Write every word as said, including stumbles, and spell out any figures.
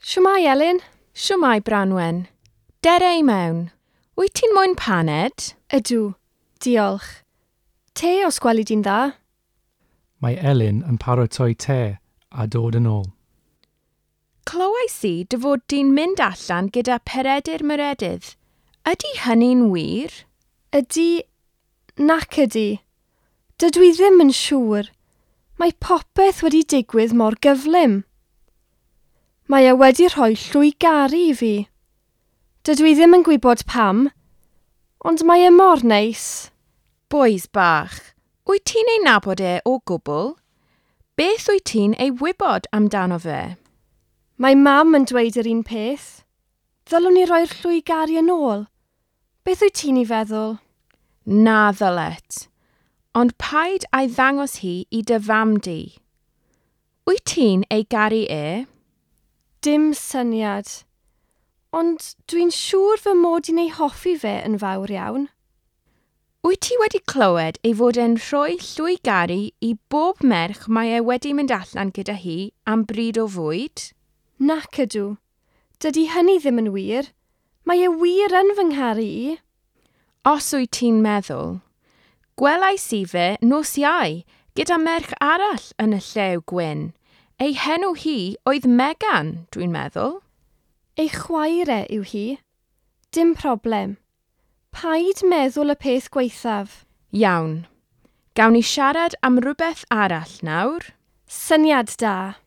Shwmae, Elin? Shwmae, Branwen. Dere i mewn. Wyt ti'n moyn paned? Ydw, diolch. Te os gweli di'n dda? Mae Elin yn paratoi te a dod yn ôl. Clywais i dy fod di'n mynd allan gyda Peredur Meredydd. Ydy hynny'n wir? Ydy, nac ydy. Dydw i ddim yn siŵr. Mae popeth wedi digwydd mor gyflym. Mae e wedi rhoi llwy garu i fi. Dydw i ddim yn gwybod pam, ond mae e mor neis. Bois bach, wyt ti'n ei nabod e o gwbl? Beth wyt ti'n ei wybod amdano fe? Mae mam yn dweud yr un peth. Ddylwn ni roi'r llwy garu yn ôl. Beth wyt ti'n ei feddwl? Na ddylet. Ond paid a'i ddangos hi i dy fam di. Wyt ti'n ei garu e? Dim syniad. Ond dwi'n siŵr fy mod i'n ei hoffi fe yn fawr iawn. Wyt ti wedi clywed ei fod e'n rhoi llwy garu i bob merch mae e wedi mynd allan gyda hi am bryd o fwyd? Nac ydw. Dydy hynny ddim yn wir. Mae e wir yn fy ngharu i. Os wyt ti'n meddwl. Gwelais i fe nos Iau gyda merch arall yn y Llew Gwyn. Ei henw hi oedd Megan, dwi'n meddwl. Ei chwaer e yw hi. Dim problem. Paid meddwl y peth gwaethaf. Iawn. Gawn ni siarad am rhywbeth arall nawr? Syniad da.